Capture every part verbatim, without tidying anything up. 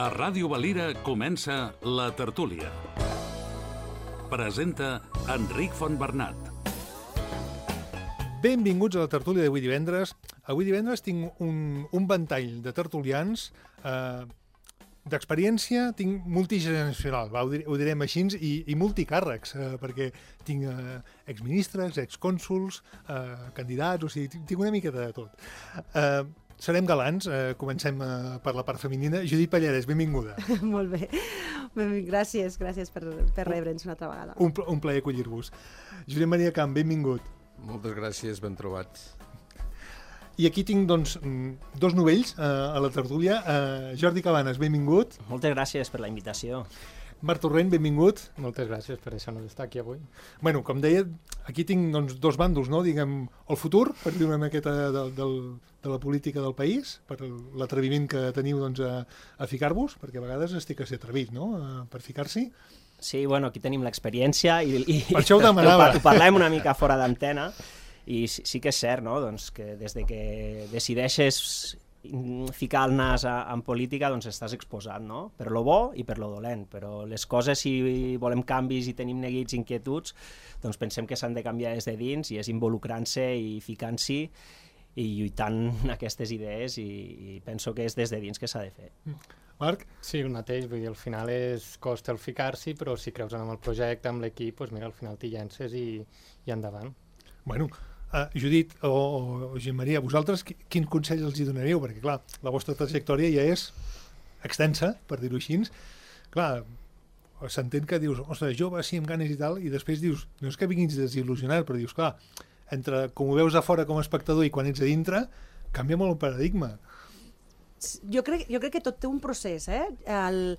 A Ràdio Valira comença La Tertúlia. Presenta Enric Fontbernat. Benvinguts a la tertúlia d'avui divendres. Avui divendres tinc un, un ventall de tertulians eh, d'experiència, tinc multigeneracional, va, ho, dir, ho direm així, i, i multicàrrecs, eh, perquè tinc eh, exministres, excònsols, eh, candidats, o sigui, tinc una miqueta de tot. Eh, serem galants, eh, comencem eh, per la part femenina. Judit Pallarès, benvinguda. Molt bé. Gràcies, gràcies per, per rebre'ns una altra vegada. Un, un plaer acollir-vos. Josep Maria Camp, benvingut. Moltes gràcies, ben trobats. I aquí tinc, doncs, dos novells eh, a la tertúlia. Eh, Jordi Cabanes, benvingut. Moltes gràcies per la invitació. Marc Torrent, benvingut. Moltes gràcies per deixar-nos estar aquí avui. Bueno, com deia, aquí tinc doncs, dos bàndols, no? Diguem, el futur, per dir una miqueta de, de, de la política del país, per l'atreviment que teniu doncs, a, a ficar-vos, perquè a vegades estic a ser atrevit, no?, a, per ficar-s'hi. Sí, bueno, aquí tenim l'experiència i, i per això ho demanava. Ho parlem una mica fora d'antena i sí, sí que és cert, no?, doncs, que des de que decideixes ficar el nas a, en política, doncs estàs exposat, no?, per lo bo i per lo dolent, però les coses, si volem canvis i tenim neguits, inquietuds, doncs pensem que s'han de canviar des de dins i és involucrant-se i ficant-s'hi i lluitant aquestes idees i, i penso que és des de dins que s'ha de fer. Marc? Sí, el mateix, vull dir, al final és costa el ficar-s'hi, però si creus en el projecte, amb l'equip, doncs mira, al final t'hi llences i, i endavant. Bueno, uh, Judit o, o Josep Maria, vosaltres quin consell els hi donaríeu? Perquè, clar, la vostra trajectòria ja és extensa, per dir-ho així. Clar, s'entén que dius, ostres, jove, sí, amb ganes i tal, i després dius, no és que vinguis desil·lusionat, però dius, clar, entre com ho veus a fora com a espectador i quan ets a dintre, canvia molt el paradigma. Jo crec, jo crec que tot té un procés, eh? El,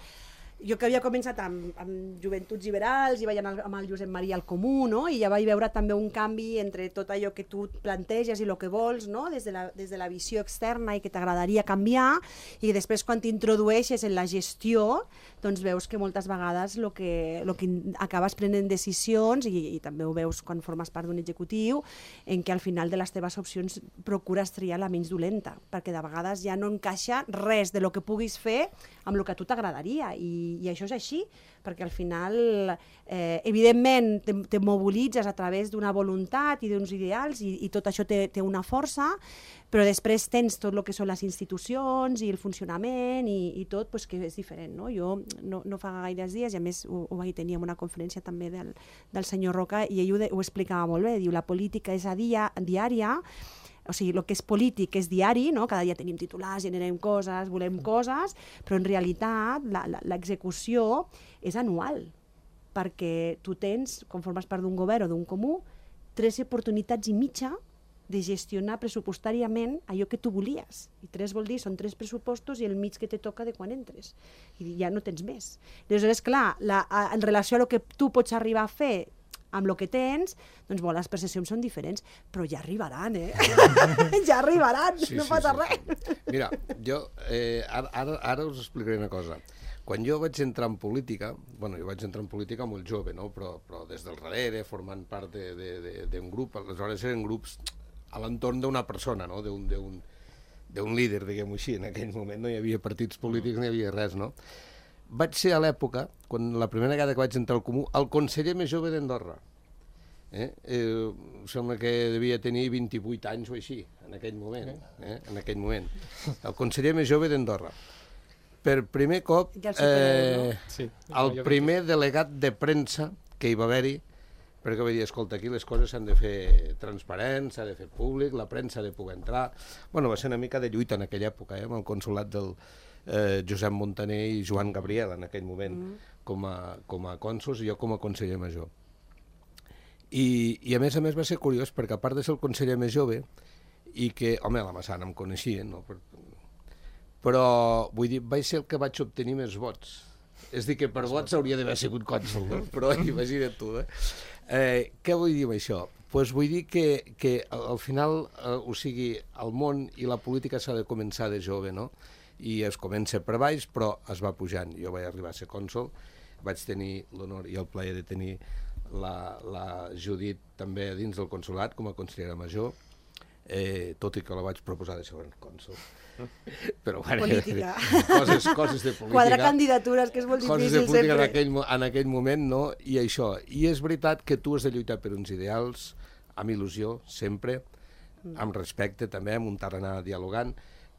jo que havia començat amb, amb Joventuts Liberals i vaig anar amb el Josep Maria al Comú, no?, i ja vaig veure també un canvi entre tot allò que tu planteges i el que vols, no?, des de la, des de la visió externa i que t'agradaria canviar, i després quan t'introdueixes en la gestió, doncs veus que moltes vegades el que, lo que acabes prenent decisions, i, i també ho veus quan formes part d'un executiu, en què al final de les teves opcions procures triar la menys dolenta, perquè de vegades ja no encaixa res de lo que puguis fer amb el que a tu t'agradaria, i, i això és així, perquè al final, eh, evidentment, te, te mobilitzes a través d'una voluntat i d'uns ideals, i, i tot això té, té una força, però després tens tot el que són les institucions i el funcionament i, i tot, pues, que és diferent, no? Jo no, no fa gaires dies, i a més ho, ho vaig tenir en una conferència també del, del senyor Roca, i ell ho, de, ho explicava molt bé, diu, la política és a dia, diària, o sigui, el que és polític és diari, no? Cada dia tenim titulars, generem coses, volem coses, però en realitat l'execució és anual, perquè tu tens, quan formes part d'un govern o d'un comú, tres oportunitats i mitja de gestionar pressupostàriament allò que tu volies. I tres vol dir, són tres pressupostos i el mig que te toca de quan entres. I ja no tens més. Aleshores, clar, la, en relació a el que tu pots arribar a fer amb el que tens, doncs bo, les percepcions són diferents, però ja arribaran, eh? Ja arribaran, sí, no sí, passa sí, res. Sí. Mira, jo eh, ara, ara, ara us explicaré una cosa. Quan jo vaig entrar en política, bueno, jo vaig entrar en política molt jove, no? però, però des del darrere, formant part d'un grup, aleshores eren grups a l'entorn d'una persona, no? d'un líder, diguem-ho així. En aquell moment no hi havia partits polítics, no hi havia res, no? Vaig ser a l'època, quan la primera vegada que vaig entrar al Comú, el conseller més jove d'Andorra. Eh? Eh, sembla que devia tenir vint-i-vuit anys o així, en aquell moment. Eh? En aquell moment. El conseller més jove d'Andorra. Per primer cop, eh, el primer delegat de premsa que hi va haver-hi, perquè va dir, escolta, aquí les coses s'han de fer transparents, s'ha de fer públic, la premsa ha de poder entrar. Bueno, va ser una mica de lluita en aquella època, eh, amb el consolat del eh, Josep Montaner i Joan Gabriel, en aquell moment, mm. com a, com a cònsols i jo com a conseller major. I, I a més a més va ser curiós, perquè a part de ser el conseller més jove, i que, home, la Massana em coneixia, no? Però, vull dir, vaig ser el que vaig obtenir més vots. És dir, que per vots hauria d'haver sigut cònsol, no? Però imagina't tu, eh? eh? Què vull dir amb això? Pues vull dir que, que al final, eh, o sigui, el món i la política s'ha de començar de jove, no? I es comença per baix, però es va pujant. Jo vaig arribar a ser cònsol, vaig tenir l'honor i el plaer de tenir la, la Judit també dins del consolat com a consellera major, eh, tot i que la vaig proposar de segon cònsol. Però, bueno, Política. Coses, coses de política. Quadrar candidatures, que és molt Coses de difícil política en sempre. aquell, mo- en aquell moment, no? I això. I és veritat que tu has de lluitar per uns ideals, amb il·lusió, sempre, amb respecte també, amb un tarannà dialogant,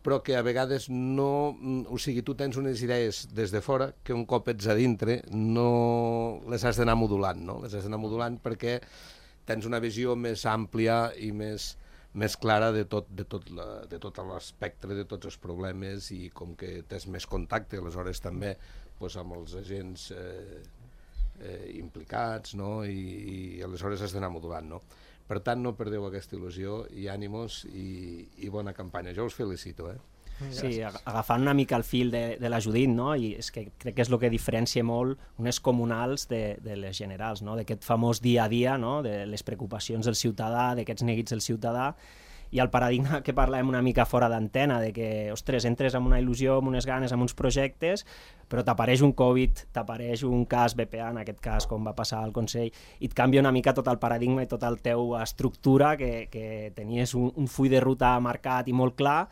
però que a vegades no... O sigui, tu tens unes idees des de fora que un cop ets a dintre no les has d'anar modulant, no? Les has d'anar modulant perquè tens una visió més àmplia i més, més clara de tot, de tot, la, de tot l'espectre, de tots els problemes, i com que tens més contacte, aleshores també pues, amb els agents eh, eh, implicats, no? I, i aleshores has d'anar modulant, no? Per tant, no perdeu aquesta il·lusió i ànimos i, i bona campanya. Jo us felicito, eh? Sí, ag- agafant una mica el fil de, de la Judit, no? I és que crec que és el que diferencia molt unes comunals de, de les generals, no? D'aquest famós dia a dia, no? De les preocupacions del ciutadà, d'aquests neguits del ciutadà, i el paradigma que parlàvem una mica fora d'antena, de que, ostres, entres amb una il·lusió, amb unes ganes, amb uns projectes, però t'apareix un Covid, t'apareix un cas B P A, en aquest cas, com va passar al Consell, i et canvia una mica tot el paradigma i tota la teva estructura, que, que tenies un, un full de ruta marcat i molt clar,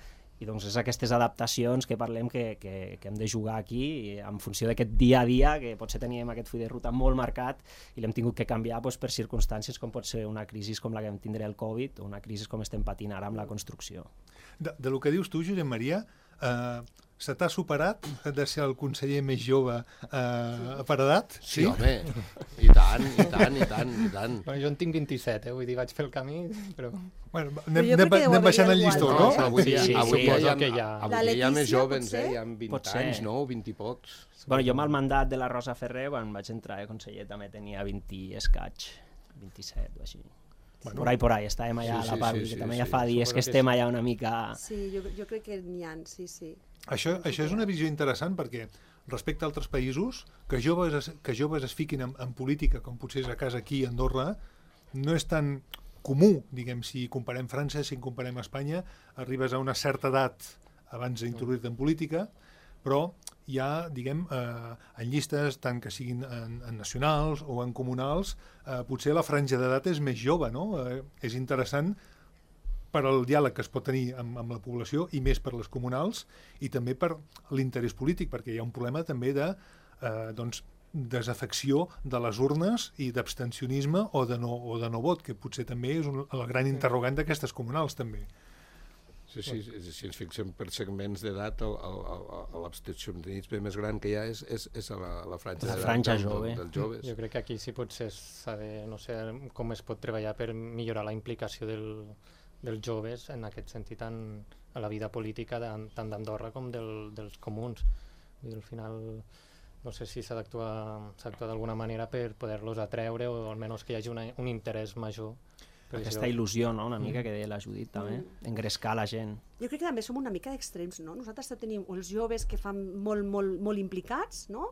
i doncs és aquestes adaptacions que parlem que, que, que hem de jugar aquí i en funció d'aquest dia a dia, que potser teníem aquest full de ruta molt marcat i l'hem tingut que canviar doncs, per circumstàncies com pot ser una crisi com la que vam tindre el Covid o una crisi com estem patint ara amb la construcció. De, de lo que dius tu, Josep Maria, eh, se t'ha superat de ser el conseller més jove eh, per edat? Sí, home, i tant, i tant, i tant, i tant. Bueno, jo en tinc vint-i-set, eh? Vull dir, vaig fer el camí, però... Bueno, Però anem, jo crec anem, que deu anem baixant haver el llistó, igual, no? eh? Però avui, Sí, sí, avui sí, ja, suposo hi ha, que hi ha. avui La ja hi ha més Letícia, jovens, potser? eh? Hi ha vint Pot ser. anys, no? vint i pocs. Bueno, jo amb el mandat de la Rosa Ferrer, quan vaig entrar de conseller, també tenia vint i escaig, vint-i-set o així. Bueno, por ahí, por ahí, estàvem allà sí, a la sí, Pavi, sí, que sí, també sí, ja fa dies suposo que que estem sí. allà una mica... Sí, jo, jo crec que n'hi ha, sí, sí. Això, això és una visió interessant perquè respecte a altres països, que joves es, que joves es fiquin en, en política, com potser és a casa aquí a Andorra, no és tan comú, diguem, si comparem França, si comparem Espanya, arribes a una certa edat abans d'introduir-te en política, però hi ha, diguem, eh, en llistes, tant que siguin en, en nacionals o en comunals, eh, potser la franja d'edat és més jove, no? Eh, és interessant per al diàleg que es pot tenir amb, amb la població i més per les comunals i també per l'interès polític, perquè hi ha un problema també de eh, doncs, desafecció de les urnes i d'abstencionisme o, de no, o de no vot, que potser també és un, el gran interrogant d'aquestes comunals també. Sí, sí, si, si ens fixem per segments d'edat, l'abstencionisme més gran que hi ha és, és, és a la, la franja La d'edat franja del- jove. dels joves. Jo crec que aquí sí potser s'ha de, no sé, com es pot treballar per millorar la implicació del, dels joves en aquest sentit en, a la vida política de, tant d'Andorra com del, dels comuns. Vull dir, al final no sé si s'ha d'actuar s'ha d'actuar d'alguna manera per poder-los atreure o almenys que hi hagi una, un interès major. per Aquesta això. il·lusió, no?, una mica que deia la Judit també, engrescar la gent. Jo crec que també som una mica d'extrems, no? Nosaltres tenim els joves que fan molt, molt, molt implicats, no?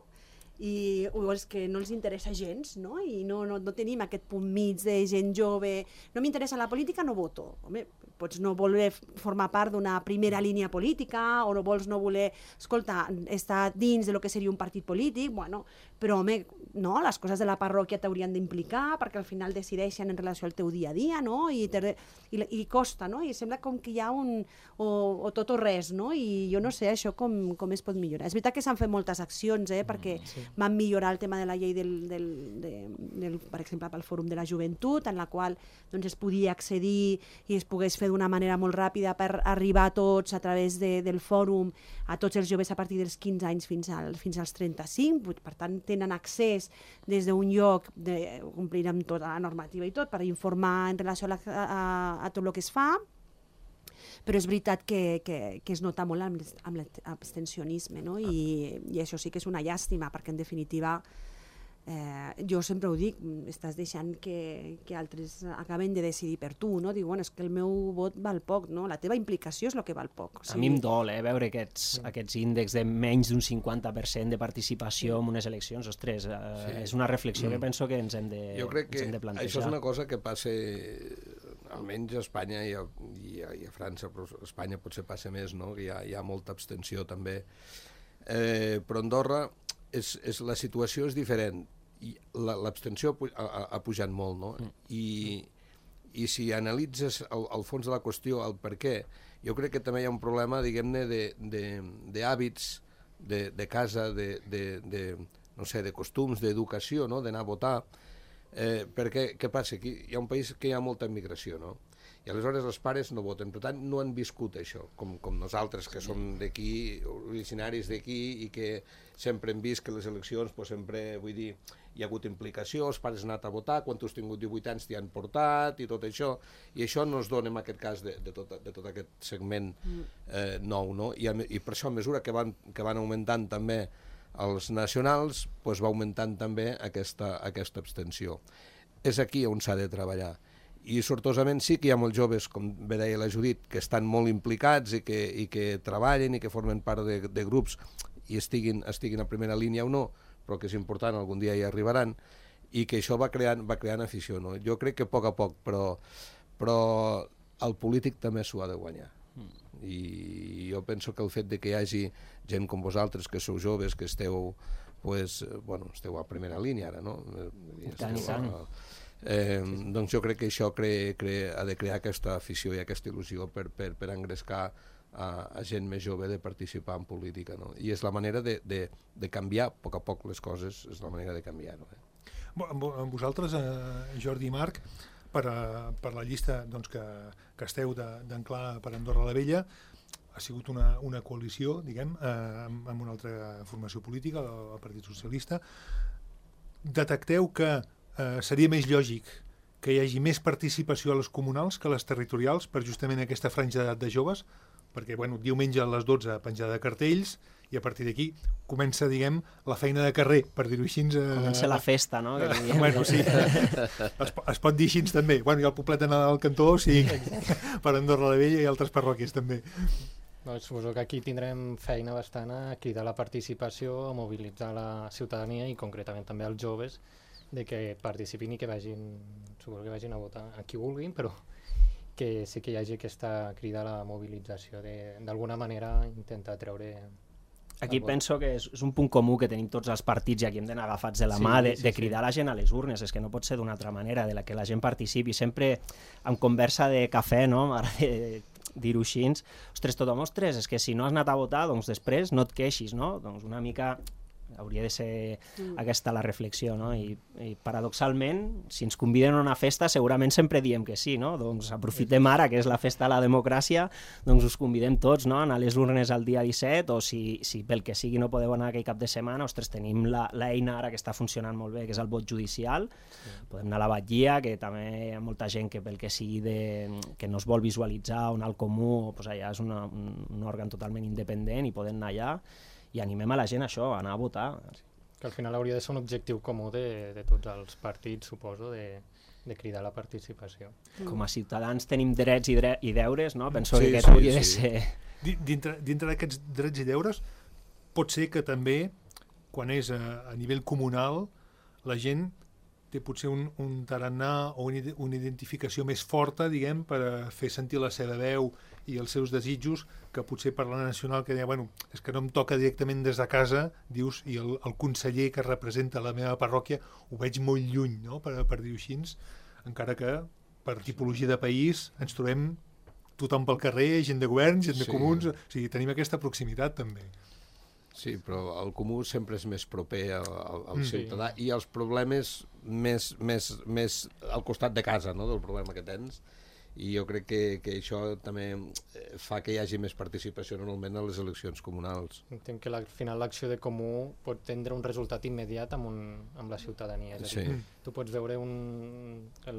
I o els que no els interessa gens, no? I no, no, no tenim aquest punt mig de gent jove. No m'interessa la política, no voto. Home, pots no voler formar part d'una primera línia política o no vols no voler, escolta, estar dins de lo que seria un partit polític, bueno, però home, no, les coses de la parròquia t'haurien d'implicar perquè al final decideixen en relació al teu dia a dia, no? I, te, i, i costa, no? I sembla com que hi ha un... o, o tot o res, no? I jo no sé això com, com es pot millorar. És veritat que s'han fet moltes accions, eh? Perquè sí. van millorar el tema de la llei del, del, de, del, per exemple, pel Fòrum de la Joventut, en la qual doncs, es podia accedir i es pogués fer d'una manera molt ràpida per arribar a tots a través de, del fòrum, a tots els joves a partir dels quinze anys fins, al, fins als trenta-cinc, per tant tenen accés des d'un lloc de complir amb tota la normativa i tot per informar en relació a, la, a, a tot el que es fa, però és veritat que, que, que es nota molt amb, amb l'abstencionisme, no? I, i això sí que és una llàstima perquè en definitiva Eh, jo sempre ho dic, estàs deixant que, que altres acaben de decidir per tu, no? Dic, bueno, és que el meu vot val poc, no? La teva implicació és el que val poc. O sigui... A mi em dol, eh, veure aquests, sí. aquests índexs de menys d'un cinquanta per cent de participació sí. en unes eleccions. Ostres, eh, sí. és una reflexió mm. que penso que ens hem de, jo crec que ens hem de plantejar. això és una cosa que passa almenys a Espanya i a, i a, i a França, però a Espanya potser passa més, no? Hi ha, hi ha molta abstenció també. Eh, però Andorra és, és, la situació és diferent i l'abstenció ha, ha, ha pujat molt, no? Mm. I, i si analitzes el, el fons de la qüestió, el per què, jo crec que també hi ha un problema, diguem-ne, d'hàbits, de, de, de casa, de, de, de, no sé, de costums, d'educació, no? D'anar a votar, eh, perquè què passa? Aquí hi ha un país que hi ha molta immigració, no? I aleshores els pares no voten, per tant no han viscut això, com, com nosaltres que som d'aquí, originaris d'aquí, i que sempre hem vist que les eleccions, pues, sempre, vull dir, hi ha hagut implicació, els pares han anat a votar, quan tu has tingut divuit anys t'hi han portat i tot això, i això no es dona en aquest cas de, de, tot, de tot aquest segment eh, nou, no? I, a, i per això a mesura que van, que van augmentant també els nacionals, pues, va augmentant també aquesta, aquesta abstenció. És aquí on s'ha de treballar. I sortosament sí que hi ha molts joves, com bé deia la Judit, que estan molt implicats i que, i que treballen i que formen part de, de grups i estiguin, estiguin a primera línia o no, però que és important, algun dia hi arribaran, i que això va creant, va creant afició, no? Jo crec que a poc a poc, però, però el polític també s'ho ha de guanyar. I jo penso que el fet de que hi hagi gent com vosaltres, que sou joves, que esteu, pues, bueno, esteu a primera línia ara, no? I tant, i tant. Eh, doncs jo crec que això cre, cre, ha de crear aquesta afició i aquesta il·lusió per, per, per engrescar a, a gent més jove de participar en política, no? I és la manera de, de, de canviar a poc a poc les coses, és la manera de canviar-ho. Eh? Amb, amb vosaltres, eh, Jordi i Marc, per, a, per la llista doncs, que, que esteu d'Anclar per Andorra la Vella, ha sigut una, una coalició, diguem, eh, amb, amb una altra formació política, el, el Partit Socialista. Detecteu que eh, seria més lògic que hi hagi més participació a les comunals que a les territorials per justament aquesta franja d'edat de joves, perquè bueno, diumenge a les dotze penjar de cartells i a partir d'aquí comença, diguem, la feina de carrer, per dir-ho així. Eh... Comença la festa, no? Que bueno, sí. es, es pot dir així també. Bueno, hi ha el poblet de Nadal al cantó, sí, per Andorra la Vella i altres parròquies també. No, suposo que aquí tindrem feina bastant a cridar la participació, a mobilitzar la ciutadania i concretament també els joves, de que participin i que vagin, suposo que vagin a votar a qui vulguin, però que sí que hi hagi aquesta crida a la mobilització, d'alguna manera intentar treure... Aquí penso que és, és un punt comú que tenim tots els partits i aquí hem d'anar agafats de la sí, mà de, sí, de cridar sí. la gent a les urnes, és que no pot ser d'una altra manera, de la que la gent participi, sempre en conversa de cafè, no? M'agrada dir-ho així, ostres, tothom, ostres, és que si no has anat a votar, doncs després no et queixis, no? Doncs una mica hauria de ser mm. aquesta la reflexió, no? I, i paradoxalment, si ens conviden a una festa, segurament sempre diem que sí, no? Doncs aprofitem ara, que és la festa de la democràcia, doncs us convidem tots, no? A anar a les urnes el dia disset, o si, si pel que sigui no podeu anar aquell cap de setmana, ostres, tenim l'eina ara que està funcionant molt bé, que és el vot judicial, sí. Podem anar a la batllia, que també hi ha molta gent que pel que sigui de, que no es vol visualitzar, o anar al comú, doncs allà és una, un, un òrgan totalment independent i podem anar allà, i animem a la gent a això, a anar a votar. Que al final hauria de ser un objectiu comú de, de tots els partits, suposo, de, de cridar la participació. Com a ciutadans tenim drets i, dre i deures, no? Penso sí, que aquest sí, hauria de sí. ser... Dintre, dintre d'aquests drets i deures, pot ser que també, quan és a, a nivell comunal, la gent té potser un, un tarannà o una, una identificació més forta, diguem, per a fer sentir la seva veu i els seus desitjos, que potser per la nacional que deia, bueno, és que no em toca directament des de casa, dius, i el, el conseller que representa la meva parròquia ho veig molt lluny, no?, per, per dir-ho així, encara que per tipologia de país ens trobem tothom pel carrer, gent de govern, gent de sí. comuns, o sigui, tenim aquesta proximitat també. Sí, però el comú sempre és més proper al, al, al mm. ciutadà i els problemes més, més, més al costat de casa, no?, del problema que tens. I jo crec que, que això també fa que hi hagi més participació normalment a les eleccions comunals. Entenc que al final l'acció de comú pot tindre un resultat immediat amb, un, amb la ciutadania. És a dir, sí. Tu pots veure un,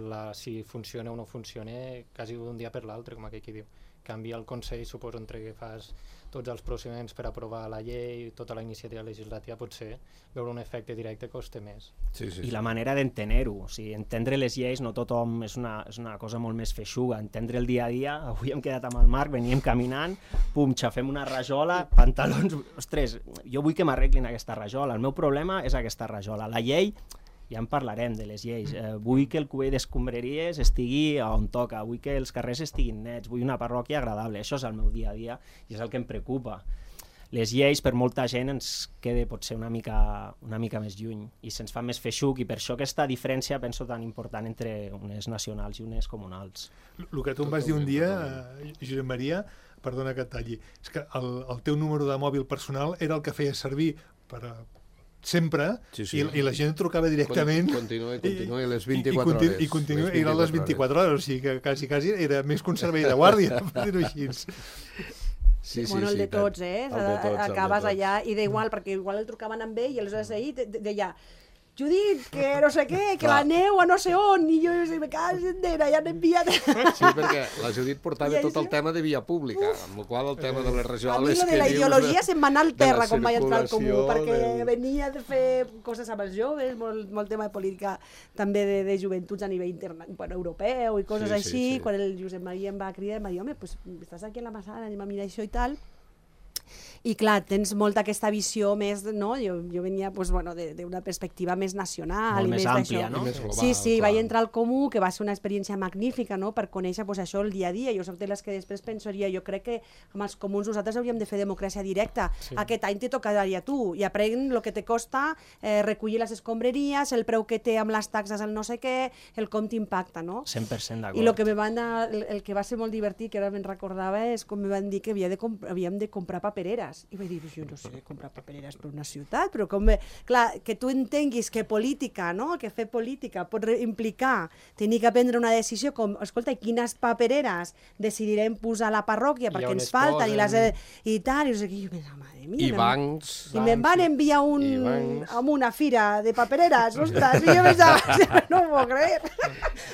la, si funciona o no funciona quasi d'un dia per l'altre, com aquell qui diu. Canvia el Consell, suposo, entre que fas tots els procediments per aprovar la llei, tota la iniciativa legislativa, potser veure un efecte directe costa més. Sí, sí, sí. I la manera d'entendre-ho, o sigui, entendre les lleis, no tothom, és una, és una cosa molt més feixuga, entendre el dia a dia, avui hem quedat amb el Marc, veníem caminant, pum, xafem una rajola, pantalons, ostres, jo vull que m'arreglin aquesta rajola, el meu problema és aquesta rajola, la llei, ja en parlarem de les lleis, eh, vull que el cubell d'escombraries estigui on toca, vull que els carrers estiguin nets, vull una parròquia agradable, això és el meu dia a dia i és el que em preocupa. les lleis per molta gent ens quede potser una mica, una mica més lluny i se'ns fa més feixuc, i per això aquesta diferència penso tan important entre unes nacionals i unes comunals. El que tu em vas dir un dia, eh, Josep Maria, perdona que et talli, és que el, el teu número de mòbil personal era el que feia servir per a sempre, sí, sí. I, i la gent trucava directament. Continua, continua, i les vint-i-quatre i, hores. I continua, les eren les vint-i-quatre hores, o sigui que quasi, quasi era més que un servei de guàrdia, per dir-ho així. Sí, sí, bueno, el de tots, eh? El de tots, acabes el de tots. Allà, i d'igual, perquè igual el trucaven amb ell i aleshores ahir deia Judit, que no sé què, que la neu a no sé on, i jo me cago en dena, ja n'he enviat... Sí, perquè la Judit portava tot el tema de via pública, amb el qual el tema de les regionals... A mi de la ideologia se'm va anar al terra quan vaig entrar al Comú, perquè venia de fer coses amb els joves, molt, molt tema de política també de, de joventuts a nivell interna, bueno, europeu i coses sí, així, sí, sí. Quan el Josep Maria em va cridar, em va dir, home, pues, estàs aquí a la Massana, anem a mirar això i tal... I clar, tens molta aquesta visió més, no? Jo, jo venia pues, bueno, d'una perspectiva més nacional. Molt i més, més àmplia, no? Més global, sí, sí, clar. vaig entrar al Comú, que va ser una experiència magnífica, no? Per conèixer pues, això el dia a dia. Jo soc de les que després pensaria, jo crec que amb els comuns nosaltres hauríem de fer democràcia directa. Sí. Aquest any te tocaria a tu, i aprèn el que te costa eh, recollir les escombraries, el preu que té amb les taxes, el no sé què, el com t'impacta, no? cent per cent d'acord. I el que, me van a, el, el que va ser molt divertit, que ara me'n recordava, és com me van dir que havia de havíem de comprar papereres. I vaig dir, jo no sé, comprar papereres per una ciutat, però com... Clar, que tu entenguis que política, no?, que fer política pot implicar tenir que prendre una decisió com, escolta, quines papereres decidirem posar a la parròquia perquè ens falten i, les, i tal, i no sé què, jo pensava, madre mia... I bancs... I me'n van enviar un, amb una fira de papereres, ostres, i jo pensava, no m'ho puc creure.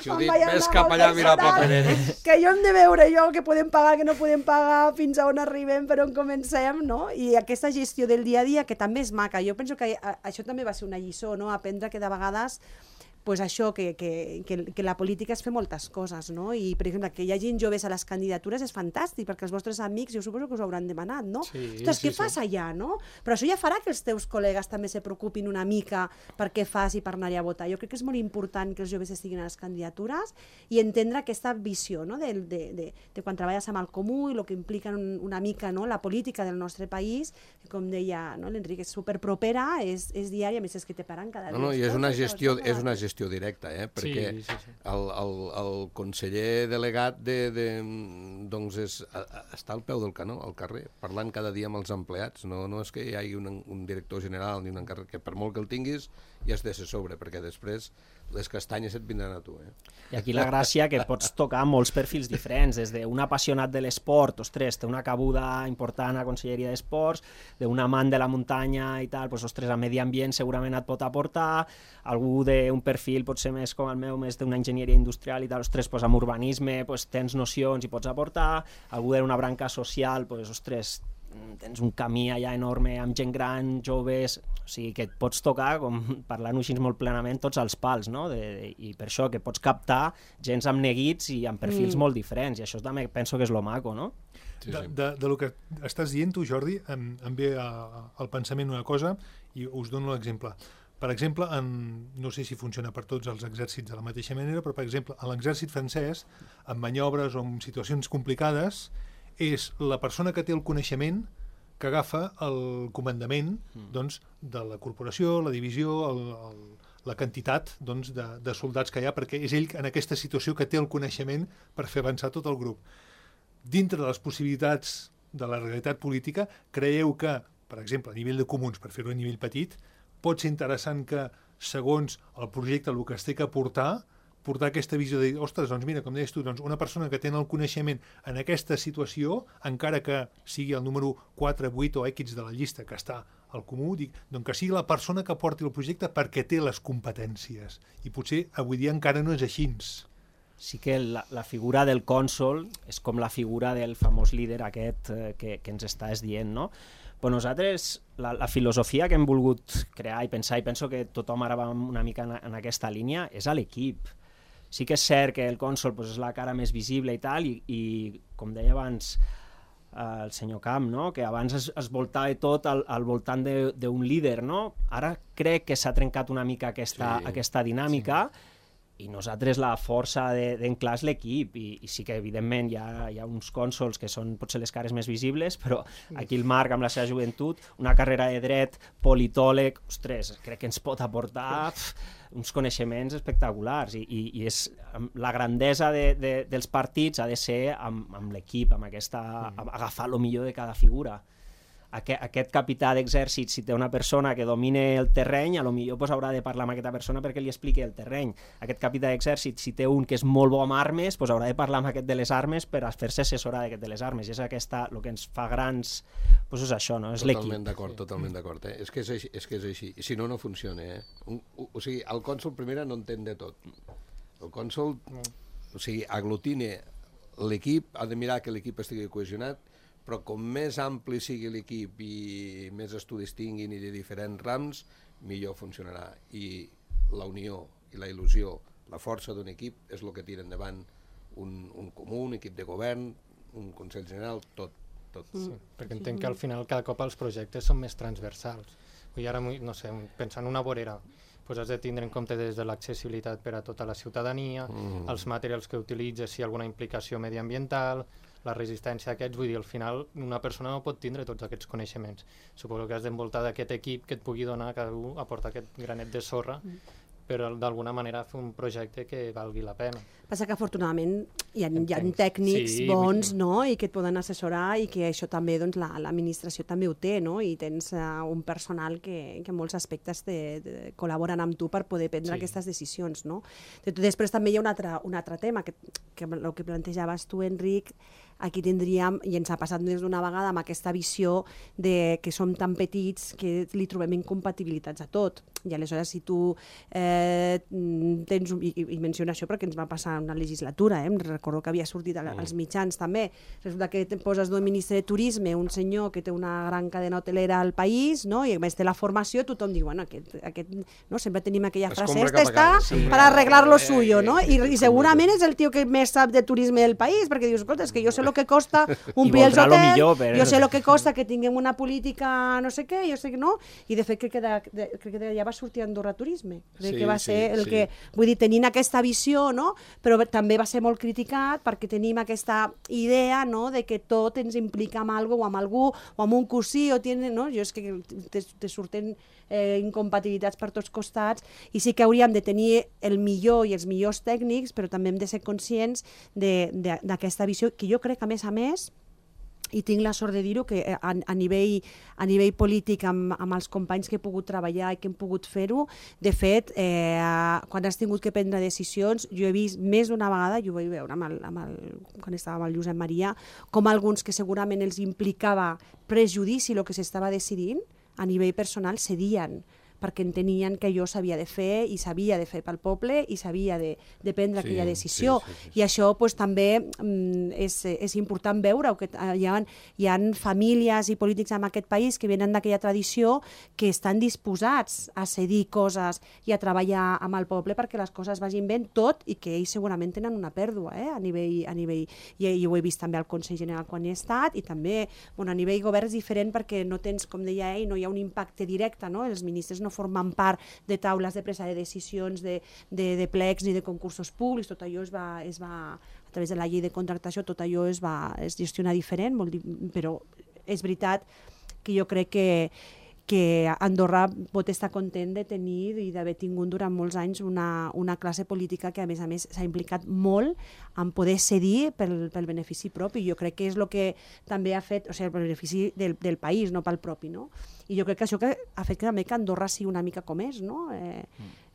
Judit, ves cap allà a mirar papereres. Que jo hem de veure jo que podem pagar, que no podem pagar, fins a on arribem, per on comencem, no? I aquesta gestió del dia a dia, que també és maca. Jo penso que això també va ser una lliçó, no? Aprendre que de vegades pues això, que, que, que, que la política és fer moltes coses, no? I, per exemple, que hi hagi joves a les candidatures és fantàstic, perquè els vostres amics, jo suposo que us ho hauran demanat, no? Sí, Ostres, sí, què sí. fas allà, no? Però això ja farà que els teus col·legues també se preocupin una mica per què fas i per anar a votar. Jo crec que és molt important que els joves estiguin a les candidatures i entendre aquesta visió, no? de, de, de, de quan treballes amb el comú i el que implica un, una mica, no? La política del nostre país, que com deia, no? l'Enric, és superpropera, és, és diària, a més és que te paren cada dia. No, no, i és una gestió, és una gestió directa, eh? Perquè sí, sí, sí. El, el, el conseller delegat de, de, doncs és, a, a, està al peu del canó, al carrer, parlant cada dia amb els empleats. No, no és que hi hagi un, un director general ni un encàrrec, que per molt que el tinguis ja has de ser sobre, perquè després les castanyes et vindran a tu. Eh? I aquí la gràcia que pots tocar molts perfils diferents, des d'un apassionat de l'esport, ostres, té una cabuda important a Conselleria d'Esports, d'un amant de la muntanya i tal, doncs, ostres, a medi ambient segurament et pot aportar, algú d'un perfil potser més com el meu, més d'una enginyeria industrial i tal, ostres, doncs, amb urbanisme doncs, tens nocions i pots aportar, algú d'una branca social, doncs, ostres, tens un camí allà enorme amb gent gran, joves, o sigui que et pots tocar, com parlant-ho així molt plenament, tots els pals, no? De, de, i per això que pots captar gens amb neguits i amb perfils mm. molt diferents, i això també penso que és lo maco, no? Sí, sí. De, de, de lo que estàs dient tu, Jordi, em, em ve a, al pensament una cosa i us dono l'exemple. Per exemple, en, no sé si funciona per tots els exèrcits de la mateixa manera, però per exemple, a l'exèrcit francès, en maniobres o en situacions complicades, és la persona que té el coneixement que agafa el comandament doncs, de la corporació, la divisió, el, el, la quantitat doncs, de, de soldats que hi ha, perquè és ell en aquesta situació que té el coneixement per fer avançar tot el grup. Dintre de les possibilitats de la realitat política, creieu que, per exemple, a nivell de comuns, per fer-ho a nivell petit, pot ser interessant que, segons el projecte, el que es té que aportar, portar aquesta visió de dir, ostres, doncs mira, com deies tu, doncs una persona que té el coneixement en aquesta situació, encara que sigui el número quatre, vuit o X de la llista que està al comú, dic, doncs que sigui la persona que porti el projecte perquè té les competències. I potser avui dia encara no és així. Sí que la, la figura del cònsol és com la figura del famós líder aquest eh, que, que ens estàs dient, no? Però nosaltres, la, la filosofia que hem volgut crear i pensar, i penso que tothom ara va una mica en, en aquesta línia, és a l'equip. Sí que és cert que el cònsol pues, és la cara més visible i tal, i, i com deia abans eh, el senyor Camp, no? Que abans es, es voltava tot al, al voltant d'un líder, no? Ara crec que s'ha trencat una mica aquesta, sí, aquesta dinàmica, sí. i nosaltres la força d'en Clar és l'equip, i, i sí que evidentment hi ha, hi ha uns cònsols que són potser les cares més visibles, però aquí el Marc amb la seva joventut, una carrera de dret, politòleg, ostres, crec que ens pot aportar pf, uns coneixements espectaculars, i, i, i és, la grandesa de, de, dels partits ha de ser amb, amb l'equip, amb aquesta, amb agafar el millor de cada figura. Aquest, aquest capità d'exèrcit, si té una persona que domine el terreny, a lo millor pues, haurà de parlar amb aquesta persona perquè li expliqui el terreny. Aquest capità d'exèrcit, si té un que és molt bo amb armes, pues, haurà de parlar amb aquest de les armes per a fer-se assessorar d'aquest de les armes. I és aquesta, el que ens fa grans, pues és això, no? És l'equip. Totalment d'acord, totalment d'acord. Eh? És, que és, així, és que és així. I si no, no funciona. Eh? Un, o, o sigui, el cònsol primera no entén de tot. El cònsol, o sigui, aglutine l'equip, ha de mirar que l'equip estigui cohesionat, però com més ampli sigui l'equip i més estudis tinguin i de diferents rams, millor funcionarà. I la unió i la il·lusió, la força d'un equip és el que tira endavant un, un comú, un equip de govern, un Consell General, tot. tot. Sí, perquè entenc que al final cada cop els projectes són més transversals. I ara, no sé, pensant en una vorera, pues has de tindre en compte des de l'accessibilitat per a tota la ciutadania, mm. els materials que utilitzes, si hi ha alguna implicació mediambiental, la resistència a aquests, vull dir, al final una persona no pot tindre tots aquests coneixements. Suposo que has d'envoltar d'aquest equip que et pugui donar, cada un aportar aquest granet de sorra, mm. però d'alguna manera fer un projecte que valgui la pena. Passa que afortunadament hi ha, hi ha tècnics sí, bons, no?, i que et poden assessorar, i que això també, doncs, la, l'administració també ho té, no?, i tens uh, un personal que, que en molts aspectes te, te col·laboren amb tu per poder prendre sí. aquestes decisions, no? Després també hi ha un altre, un altre tema, que, que el que plantejaves tu, Enric, aquí tindríem, i ens ha passat més d'una vegada amb aquesta visió de que som tan petits que li trobem incompatibilitats a tot. I aleshores, si tu eh, tens, i, i menciono això perquè ens va passar una legislatura, eh? Recordo que havia sortit als mitjans també, resulta que te poses d'un ministre de Turisme, un senyor que té una gran cadena hotelera al país, no? I a més té la formació, tothom diu, bueno, aquest, aquest, no? Sempre tenim aquella frase, este està sí. per arreglar lo suyo, no? I, i segurament és el tio que més sap de turisme del país, perquè dius, escolta, és que jo sé el que costa omplir els hotels, però... jo sé el que costa que tinguem una política no sé què, jo sé que no, i de fet crec que, de, de, crec que de, ja va sortir Andorra Turisme, crec sí, que va ser sí, el sí. que, vull dir, tenint aquesta visió, no? Però també va ser molt criticat perquè tenim aquesta idea, no?, de que tot ens implica amb algo o amb algú o amb un cosí, o tiene, no? Jo és que te, te surten eh, incompatibilitats per tots costats, i sí que hauríem de tenir el millor i els millors tècnics, però també hem de ser conscients d'aquesta visió, que jo crec que a més a més, i tinc la sort de dir-ho, que a, a, nivell, a nivell polític amb, amb els companys que he pogut treballar i que hem pogut fer-ho, de fet, eh, quan has tingut que prendre decisions, jo he vist més d'una vegada, jo ho vaig veure amb el, amb el, quan estava amb el Josep Maria, com alguns que segurament els implicava prejudici el que s'estava decidint, a nivell personal cedien, perquè entenien que jo s'havia de fer i s'havia de fer pel poble i s'havia de, de prendre sí, aquella decisió. Sí, sí, sí. I això pues, també mm, és, és important veure que hi ha, hi ha famílies i polítics en aquest país que venen d'aquella tradició que estan disposats a cedir coses i a treballar amb el poble perquè les coses vagin bé, tot i que ells segurament tenen una pèrdua eh, a nivell, a nivell i, i ho he vist també al Consell General quan he estat, i també bueno, a nivell govern és diferent perquè no tens, com deia ell, no hi ha un impacte directe, no? Els ministres no no formen part de taules de presa de decisions, de, de, de plecs ni de concursos públics, tot allò es va, es va, a través de la llei de contractació, tot allò es va es gestiona diferent, molt, però és veritat que jo crec que que Andorra pot estar content de tenir i d'haver tingut durant molts anys una, una classe política que a més a més s'ha implicat molt en poder cedir pel, pel benefici propi. Jo crec que és el que també ha fet, o sigui, el benefici del, del país, no pel propi, no? I jo crec que això que ha fet que també que Andorra sigui una mica com és, no? Eh,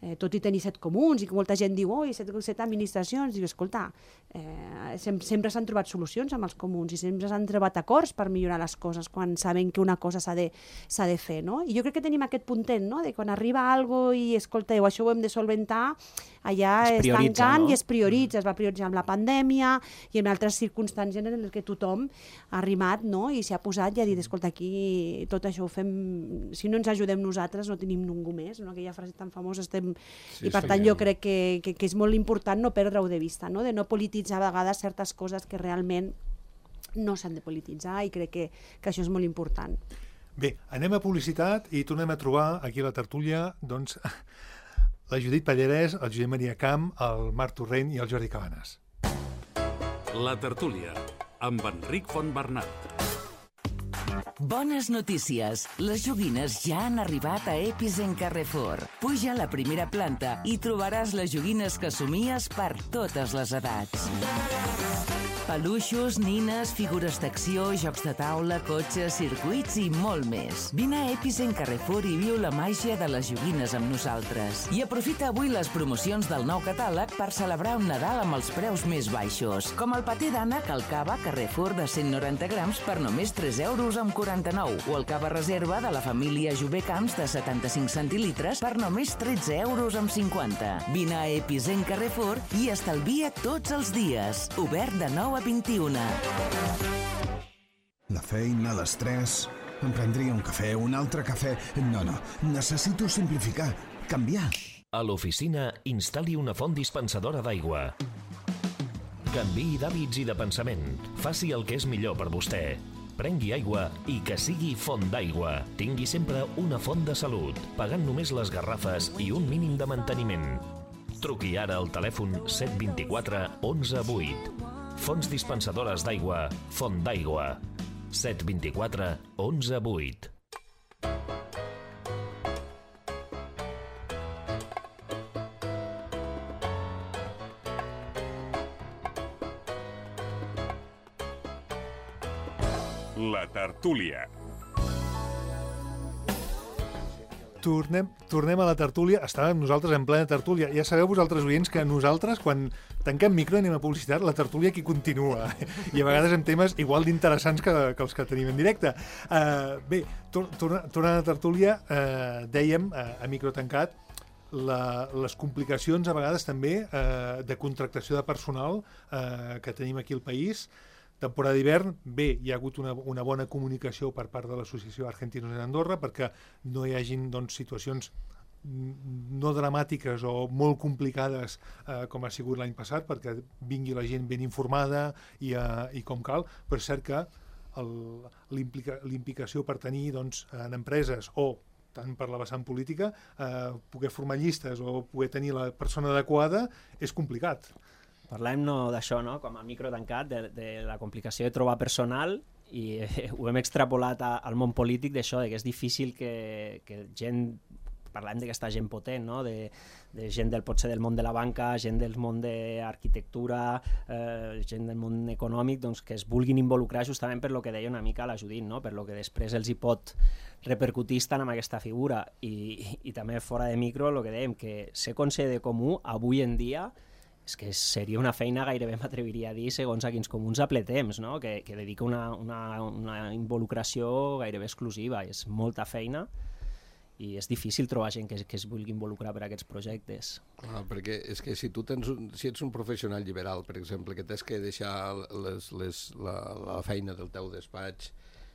eh, tot i tenir set comuns i que molta gent diu, oi, set, set administracions, diu, escolta, eh, sem sempre s'han trobat solucions amb els comuns i sempre s'han trobat acords per millorar les coses quan saben que una cosa s'ha de, s'ha de fer, no? I jo crec que tenim aquest puntet, no?, de quan arriba algo i, escolteu, això ho hem de solventar, allà es, es tancant, no? I es prioritza, es va prioritzar amb la pandèmia i en altres circumstàncies en què tothom ha arrimat, no?, i s'ha posat i ha dit, escolta, aquí tot això ho fem, si no ens ajudem nosaltres no tenim ningú més, no? Aquella frase tan famosa, estem... Sí, I per tant jo crec que, que, que és molt important no perdre-ho de vista, no?, de no polititzar a vegades certes coses que realment no s'han de polititzar, i crec que, que això és molt important. Bé, anem a publicitat i tornem a trobar aquí a la tertúlia doncs, la Judit Pallarès, el Josep Maria Camp, el Marc Torrent i el Jordi Cabanes. La tertúlia, amb Enric Fontbernat. Bones notícies! Les joguines ja han arribat a Epicent Carrefour. Puja a la primera planta i trobaràs les joguines que somies per totes les edats. Peluixos, nines, figures d'acció, jocs de taula, cotxes, circuits i molt més. Vine a Epicent Carrefour i viu la màgia de les joguines amb nosaltres. I aprofita avui les promocions del nou catàleg per celebrar un Nadal amb els preus més baixos, com el patè d'ànec al cava Carrefour de cent noranta grams per només tres euros amb quaranta-nou o el cava reserva de la família Jové Camps de setanta-cinc centilitres per només tretze euros amb cinquanta. Vine a Epicent Carrefour i estalvia tots els dies. Obert de nou a vint-i-una. La feina, l'estrès... Em prendria un cafè, un altre cafè... No, no, necessito simplificar, canviar. A l'oficina, instal·li una font dispensadora d'aigua. Canviï d'hàbits i de pensament. Faci el que és millor per vostè. Prengui aigua i que sigui font d'aigua. Tingui sempre una font de salut, pagant només les garrafes i un mínim de manteniment. Truqui ara al telèfon set dos quatre onze vuit. Fonts dispensadores d'aigua, Font d'aigua. set dos quatre onze vuit. La tertúlia. Tornem, tornem a la tertúlia. Estàvem nosaltres en plena tertúlia. Ja sabeu vosaltres, oients, que nosaltres, quan tanquem micro i anem a publicitat, la tertúlia aquí continua. I a vegades amb temes igual d'interessants que, que els que tenim en directe. Uh, bé, tor tor tornant a la tertúlia, uh, dèiem, uh, a micro tancat, la, les complicacions a vegades també uh, de contractació de personal uh, que tenim aquí al país. Temporada d'hivern, bé, hi ha hagut una, una bona comunicació per part de l'associació Argentinos en Andorra perquè no hi hagin doncs, situacions no dramàtiques o molt complicades eh, com ha sigut l'any passat, perquè vingui la gent ben informada i, eh, i com cal, però és cert que l'implicació per tenir doncs, en empreses o tant per la vessant política, eh, poder formar llistes o poder tenir la persona adequada és complicat. Parlem no, d'això, no? Com a micro tancat, de, de la complicació de trobar personal i eh, ho hem extrapolat a, al món polític d'això, que és difícil que, que gent, parlem d'aquesta gent potent, no? de, de gent del potser del món de la banca, gent del món d'arquitectura, eh, gent del món econòmic, doncs, que es vulguin involucrar justament per lo que deia una mica la Judit, no? Per lo que després els hi pot repercutir estant amb aquesta figura. I, i, i també fora de micro, el que dèiem, que ser conseller comú avui en dia és que seria una feina, gairebé m'atreviria a dir, segons a quins comuns a ple temps, no? que, que dedica una, una, una involucració gairebé exclusiva. És molta feina i és difícil trobar gent que, que es vulgui involucrar per a aquests projectes. Clar, perquè és que si tu tens un, si ets un professional liberal, per exemple, que tens que deixar les, les, la, la feina del teu despatx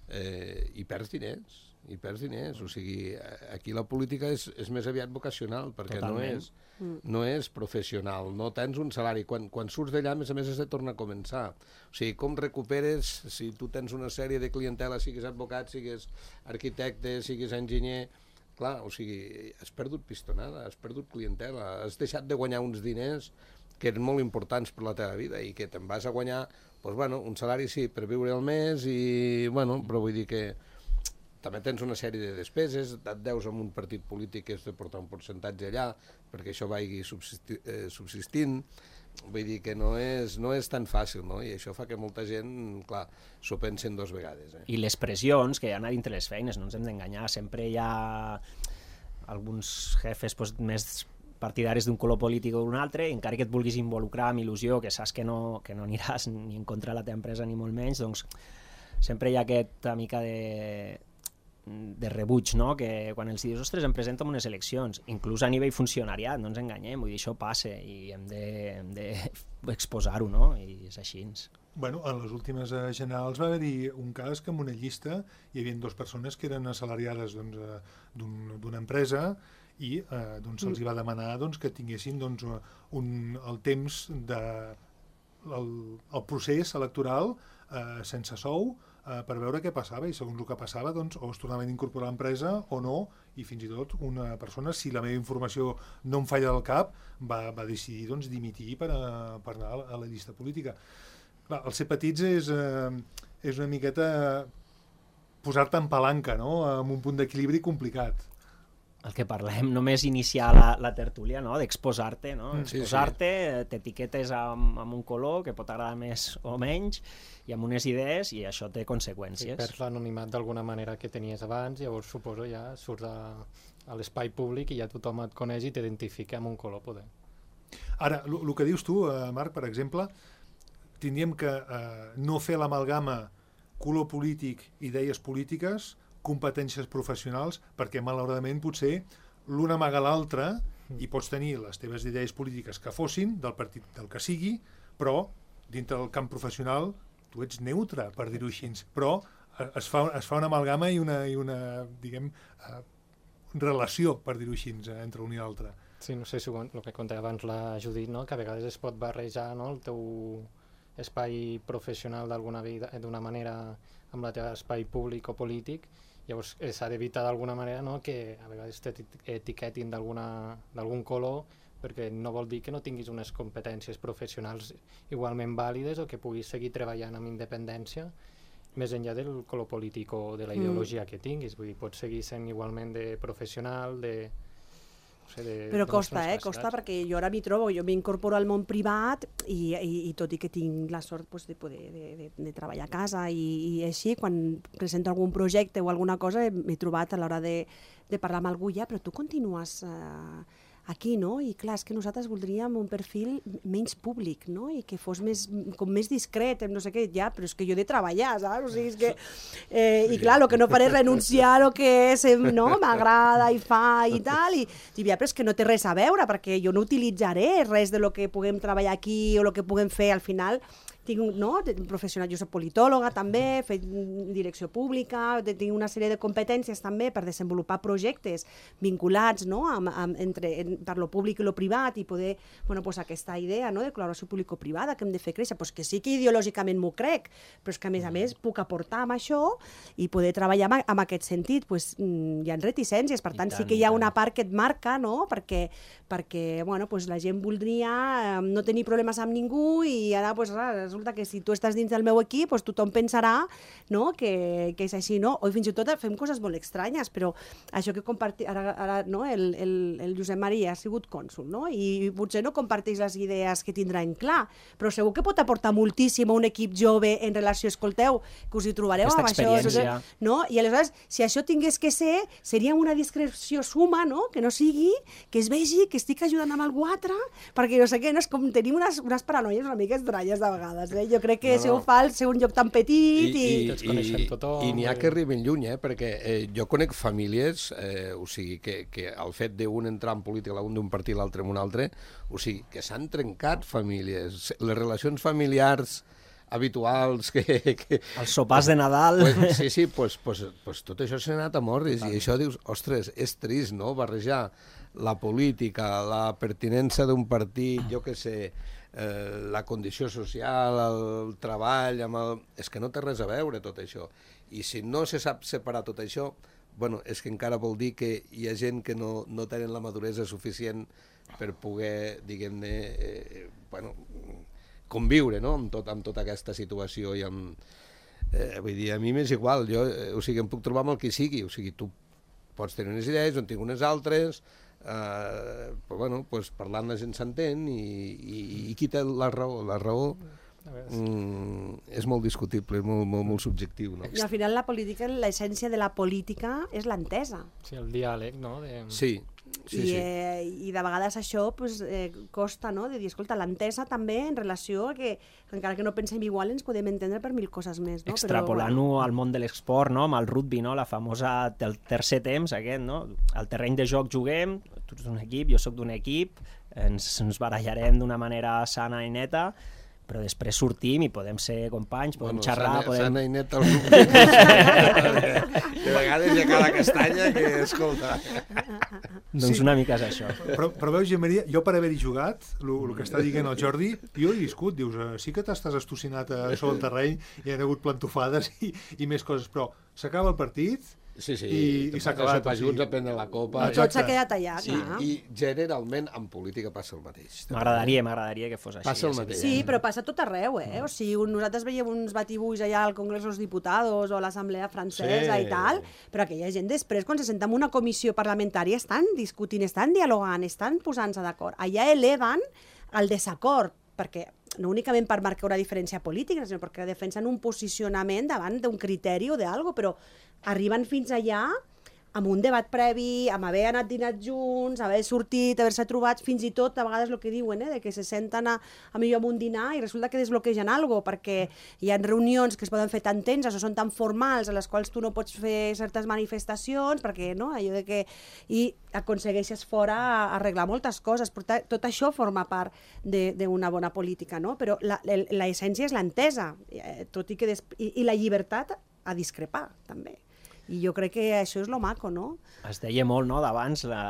eh, i perds diners, i perds diners, o sigui, aquí la política és, és més aviat vocacional, perquè no és, no és professional, no tens un salari, quan, quan surts d'allà, a més a més, has de tornar a començar. O sigui, com recuperes, si tu tens una sèrie de clientela, siguis advocat, siguis arquitecte, siguis enginyer, clar, o sigui, has perdut pistonada, has perdut clientela, has deixat de guanyar uns diners que eren molt importants per la teva vida i que te'n vas a guanyar, doncs, bueno, un salari sí, per viure al mes, i, bueno, però vull dir que també tens una sèrie de despeses, et deus amb un partit polític que has de portar un percentatge allà perquè això vagi subsisti, eh, subsistint. Vull dir que no és, no és tan fàcil, no? I això fa que molta gent, clar, s'ho pensen dos vegades. Eh? I les pressions que hi ha a dintre les feines, no ens hem d'enganyar, sempre hi ha alguns jefes doncs, més partidaris d'un color polític o d'un altre, encara que et vulguis involucrar amb il·lusió, que saps que no, que no aniràs ni en contra de la teva empresa ni molt menys, doncs sempre hi ha aquesta mica de de rebuig, no? Que quan els dius, ostres, em presento en unes eleccions, inclús a nivell funcionariat, no ens enganyem, vull dir, això passa i hem d'exposar-ho, no? I és així. Bueno, a les últimes generals va haver-hi un cas que en una llista hi havia dues persones que eren assalariades doncs, d'una un, empresa i eh, doncs, se'ls va demanar doncs, que tinguessin doncs, un, el temps de el, el procés electoral eh, sense sou, eh, per veure què passava, i segons el que passava doncs, o es tornaven a incorporar a l'empresa o no, i fins i tot una persona, si la meva informació no em falla del cap, va, va decidir doncs, dimitir per, a, per anar a la, a la llista política. Clar, el ser petits és, eh, és una miqueta posar-te en palanca, no? Amb un punt d'equilibri complicat. El que parlem, només iniciar la, la tertúlia, no? D'exposar-te, no? Sí, Exposar-te, sí. T'etiquetes amb, amb un color que pot agradar més o menys i amb unes idees, i això té conseqüències. Sí, perds l'anonimat d'alguna manera que tenies abans, llavors suposo ja surts a, a l'espai públic i ja tothom et coneix i t'identifica amb un color, poder. Ara, el que dius tu, eh, Marc, per exemple, tindríem que eh, no fer l'amalgama color polític, idees polítiques, competències professionals, perquè malauradament potser l'una amaga l'altra i pots tenir les teves idees polítiques que fossin, del partit del que sigui, però dintre del camp professional tu ets neutre, per dir-ho així, però es fa, es fa una amalgama i una, i una diguem, eh, relació, per dir-ho així, entre un i l'altre. Sí, no sé si el que contava abans la Judit, no? Que a vegades es pot barrejar, no? El teu espai professional d'alguna vida, d'una manera amb el teu espai públic o polític. Llavors s'ha d'evitar d'alguna manera, no? Que a vegades t'etiquetin d'algun color, perquè no vol dir que no tinguis unes competències professionals igualment vàlides o que puguis seguir treballant amb independència més enllà del color polític o de la ideologia mm. que tinguis. Vull dir, pots seguir sent igualment de professional, de... No sé, de, però de costa, eh? Costa, perquè jo ara m'hi trobo, jo m'incorporo al món privat i, i, i tot i que tinc la sort pues, de poder de, de, de treballar a casa i, i així, quan presento algun projecte o alguna cosa m'he trobat a l'hora de, de parlar amb algú ja, però tu continues eh, aquí, no? I clar, és que nosaltres voldríem un perfil menys públic, no? I que fos més, com més discret, no sé què, ja, però és que jo he de treballar, saps? O sigui, és que... Eh, I clar, el que no faré és renunciar al que és, no? M'agrada i fa i tal, i dic, ja, però és que no té res a veure, perquè jo no utilitzaré res de lo que puguem treballar aquí o lo que puguem fer al final. Tinc, no? Professional, jo soc politòloga també, he fet direcció pública, tinc una sèrie de competències també per desenvolupar projectes vinculats, no? amb, amb, entre, per lo públic i lo privat i poder, bueno, pues aquesta idea, no? De col·laboració público-privada que hem de fer créixer, pues que sí que ideològicament m'ho crec, però és que a més a més puc aportar amb això i poder treballar amb, amb aquest sentit, pues, hi ha reticències, per tant, tant sí que hi ha una part que et marca, no? Perquè, perquè bueno, pues la gent voldria no tenir problemes amb ningú i ara pues, resulta que si tu estàs dins del meu equip, doncs tothom pensarà, no? que, que és així, no? O fins i tot fem coses molt estranyes, però això que compartim, ara, ara no? el, el, el Josep Maria ha sigut cònsul, no? I potser no comparteix les idees que tindran clar, però segur que pot aportar moltíssim a un equip jove en relació, escolteu, que us hi trobareu aquesta amb experiència. Això, no? I aleshores, si això tingués que ser, seria una discreció suma, no? Que no sigui, que es vegi que estic ajudant amb algú altre, perquè no sé què, no? És com tenim unes, unes paranoies una mica estranyes de vegades. Eh? Jo crec que no, no. si ho fa al ser un lloc tan petit i... I, i, i, tothom, i n'hi ha que arriben lluny, eh? Perquè eh, jo conec famílies, eh, o sigui, que, que el fet d'un entrar en política, un d'un partit, l'altre en un altre, o sigui, que s'han trencat famílies, les relacions familiars habituals que... que els sopars de Nadal... Pues, sí, sí, pues, pues, pues tot això s'ha anat a morris i això dius, ostres, és trist, no?, barrejar la política, la pertinença d'un partit, jo què sé, eh, la condició social, el treball, amb el... és que no té res a veure tot això. I si no se sap separar tot això, bueno, és que encara vol dir que hi ha gent que no, no tenen la maduresa suficient per poder, diguem-ne, eh, bueno, conviure, no?, amb, tot, amb tota aquesta situació i amb... Eh, vull dir, a mi m'és igual, jo, eh, o sigui, em puc trobar amb el que sigui, o sigui, tu pots tenir unes idees, jo en tinc unes altres, eh, però bueno, pues, parlant la gent s'entén i, i, i qui té la raó? La raó mm, és molt discutible, és molt, molt, molt subjectiu, no? I al final la política, l'essència de la política és l'entesa. Sí, el diàleg, no? De... Sí. Sí, I, sí. eh, i de vegades això pues, eh, costa, no?, de dir, escolta, l'entesa també en relació a que, encara que no pensem igual, ens podem entendre per mil coses més, no? Extrapolant-ho bueno. al món de l'esport, no?, amb el rugby, no?, la famosa del tercer temps, aquest, no?, al terreny de joc juguem, tu ets d'un equip, jo sóc d'un equip, ens, ens barallarem d'una manera sana i neta, però després sortim i podem ser companys, podem bueno, xerrar... Sana, podem... sana i net el grup. De vegades hi ha cada castanya que, escolta... Doncs Sí. una mica és això. Però, però veus, Jean Maria, jo per haver-hi jugat, el que està dient el Jordi, jo he viscut, dius, eh, sí que t'estàs estocinat a sobre el terreny, hi ha hagut plantofades i, i més coses, però s'acaba el partit Sí, sí, i, i s'ha acabat. Sopar junts a prendre la copa. I tot s'ha quedat allà, Sí, clar. i generalment en política passa el mateix. M'agradaria, m'agradaria que fos així. Passa el ja sé mateix. que- Sí, però passa tot arreu, eh? O sigui, un- nosaltres veiem uns batibuix allà al Congrés dels Diputados o a l'Assemblea Francesa Sí. i tal, però aquella gent després, quan se senta en una comissió parlamentària, estan discutint, estan dialogant, estan posant-se d'acord. Allà eleven el desacord, perquè no únicament per marcar una diferència política, sinó perquè defensen un posicionament davant d'un criteri o d'algo, però arriben fins allà amb un debat previ, amb haver anat dinat junts, haver sortit, haver-se trobat, fins i tot a vegades el que diuen, eh, de que se senten a, a millor amb un dinar i resulta que desbloquegen alguna cosa, perquè hi ha reunions que es poden fer tan tenses o són tan formals a les quals tu no pots fer certes manifestacions, perquè no, allò de que... I aconsegueixes fora arreglar moltes coses, però ta- tot això forma part de- d'una bona política, no? Però la- el- l'essència és l'entesa, eh, tot i que... Des... I, I la llibertat a discrepar, també. I jo crec que això és lo maco, no? Es deia molt, no?, d'abans, la,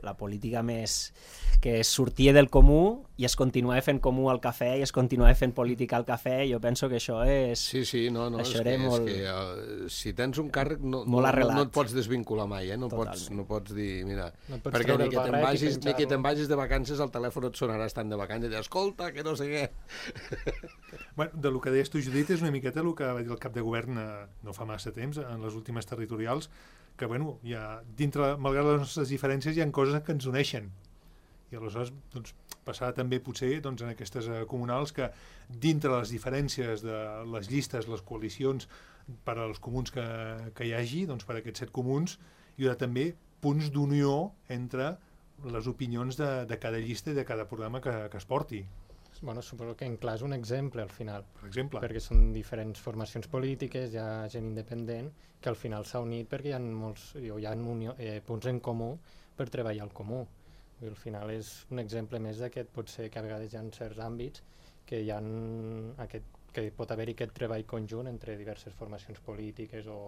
la política més... que es sortia del comú i es continuava fent comú al cafè i es continuava fent política al cafè. Jo penso que això és... Sí, sí, no, no, això és era que, molt... és que uh, si tens un càrrec no, no, Molt no, arrelat. no et pots desvincular mai, eh? no, pots, Totalment. no pots dir, mira, No pots perquè treure ni el que te'n barret i vagis, ni que penjar-lo. te'n vagis de vacances el telèfon et sonarà estant de vacances i dir, escolta, que no sé què. Bueno, de lo que deies tu, Judit, és una miqueta el que va dir el cap de govern eh, no fa massa temps, en les últimes territorials, que, bueno, hi ha, dintre, malgrat les nostres diferències, hi ha coses que ens uneixen. I aleshores, doncs, passarà també potser doncs, en aquestes eh, comunals que dintre les diferències de les llistes, les coalicions, per als comuns que, que hi hagi, doncs per aquests set comuns, hi haurà també punts d'unió entre les opinions de, de cada llista i de cada programa que, que es porti, Bueno, suposo que en clar és un exemple al final, per exemple. perquè són diferents formacions polítiques, hi ha gent independent que al final s'ha unit perquè hi ha, molts, o hi ha unió, eh, punts en comú per treballar al comú. I al final és un exemple més d'aquest, pot ser que a vegades hi ha certs àmbits que, hi ha aquest, que pot haver-hi aquest treball conjunt entre diverses formacions polítiques o,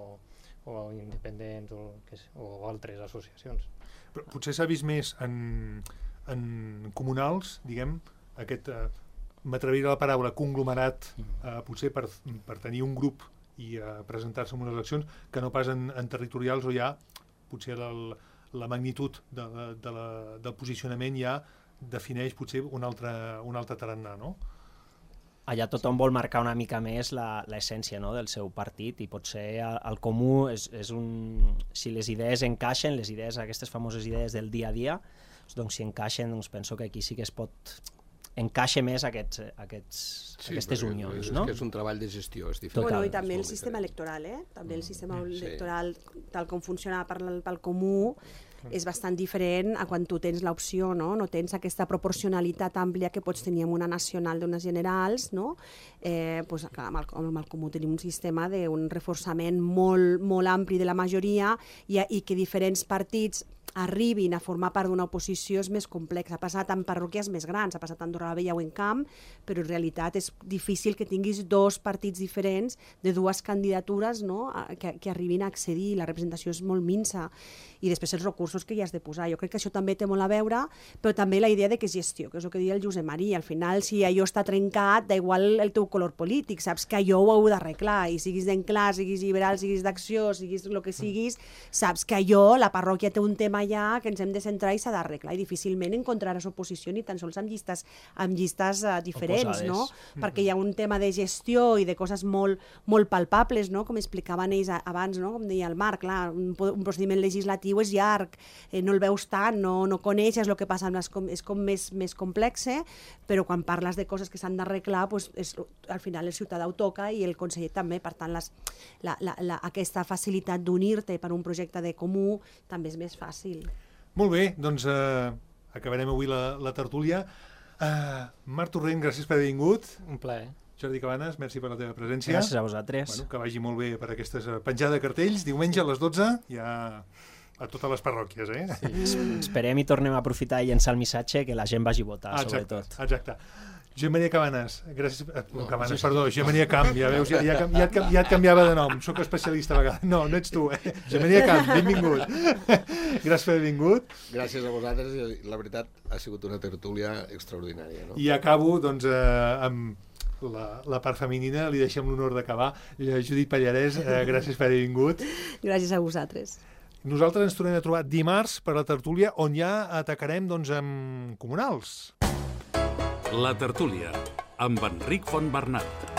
o independents o, que, o altres associacions. Però potser s'ha vist més en, en comunals, diguem, aquest, eh, m'atreviré a la paraula conglomerat, eh, potser per, per tenir un grup i eh, presentar-se en unes eleccions, que no pas en, en territorials o ja potser el, la magnitud de, de, de la, del posicionament ja defineix potser un altre, un altre tarannà, no? Allà tothom vol marcar una mica més la- l'essència, no?, del seu partit i potser el, el comú és, és un... Si les idees encaixen, les idees, aquestes famoses idees del dia a dia, doncs si encaixen, doncs penso que aquí sí que es pot encaixa més aquests, aquests, Sí, aquestes perquè unions, és, no? que és un treball de gestió, és diferent. Bueno, Total. i també el És molt sistema diferent. electoral, eh? També el sistema Sí. electoral, tal com funciona per, pel comú, és bastant diferent a quan tu tens l'opció, no? No tens aquesta proporcionalitat àmplia que pots tenir amb una nacional d'unes generals, no? Eh, pues, clar, amb, el, amb el comú tenim un sistema d'un reforçament molt, molt ampli de la majoria i, i que diferents partits arribin a formar part d'una oposició és més complex. Ha passat en parròquies més grans, ha passat a Andorra la Vella o en Camp, però en realitat és difícil que tinguis dos partits diferents de dues candidatures, no?, a, que, que arribin a accedir. La representació és molt minsa. I després els recursos que hi has de posar. Jo crec que això també té molt a veure, però també la idea de que és gestió, que és el que deia el Josep Maria. Al final, si allò està trencat, da igual el teu color polític, saps que allò ho heu d'arreglar, i siguis d'enclar, siguis liberal, siguis d'acció, siguis el que siguis, saps que allò, la parròquia té un tema allà que ens hem de centrar i s'ha d'arreglar, i difícilment encontraràs oposició ni tan sols amb llistes, amb llistes uh, diferents, Oposades. no? Mm-hmm. Perquè hi ha un tema de gestió i de coses molt, molt palpables, no?, com explicaven ells abans, no?, com deia el Marc, clar, un, un procediment legislatiu és llarg, eh, no el veus tant, no, no coneixes el que passa, amb les, com, és com més, més complex, però quan parles de coses que s'han d'arreglar, pues, és, al final el ciutadà ho toca i el conseller també, per tant les, la, la, la, aquesta facilitat d'unir-te per un projecte de comú també és més fàcil. Molt bé, doncs eh, acabarem avui la, la tertúlia. Uh, Marc Torrent, gràcies per haver vingut. Un plaer. Jordi Cabanes, merci per la teva presència. Gràcies a vosaltres. Bueno, que vagi molt bé per aquestes uh, penjada de cartells. Diumenge a les dotze, ja a totes les parròquies, eh? Sí. Esperem i tornem a aprofitar i llençar el missatge que la gent vagi a votar, exacte, sobretot. exacte. Josep Maria Cabanes, gràcies... No, Cabanes, perdó, Josep Maria Camp, ja veus, ja, ja, ja, et, ja et canviava de nom, sóc especialista a vegades. No, no ets tu, eh? Josep Maria Camp, benvingut. Gràcies per haver vingut. Gràcies a vosaltres, i la veritat ha sigut una tertúlia extraordinària. No? I acabo, doncs, eh, amb la, la part femenina, li deixem l'honor d'acabar. Judit Pallarès, eh, gràcies per haver vingut. Gràcies a vosaltres. Nosaltres ens tornem a trobar dimarts per la tertúlia, on ja atacarem, doncs, amb comunals. La tertúlia, amb Enric Fontbernat.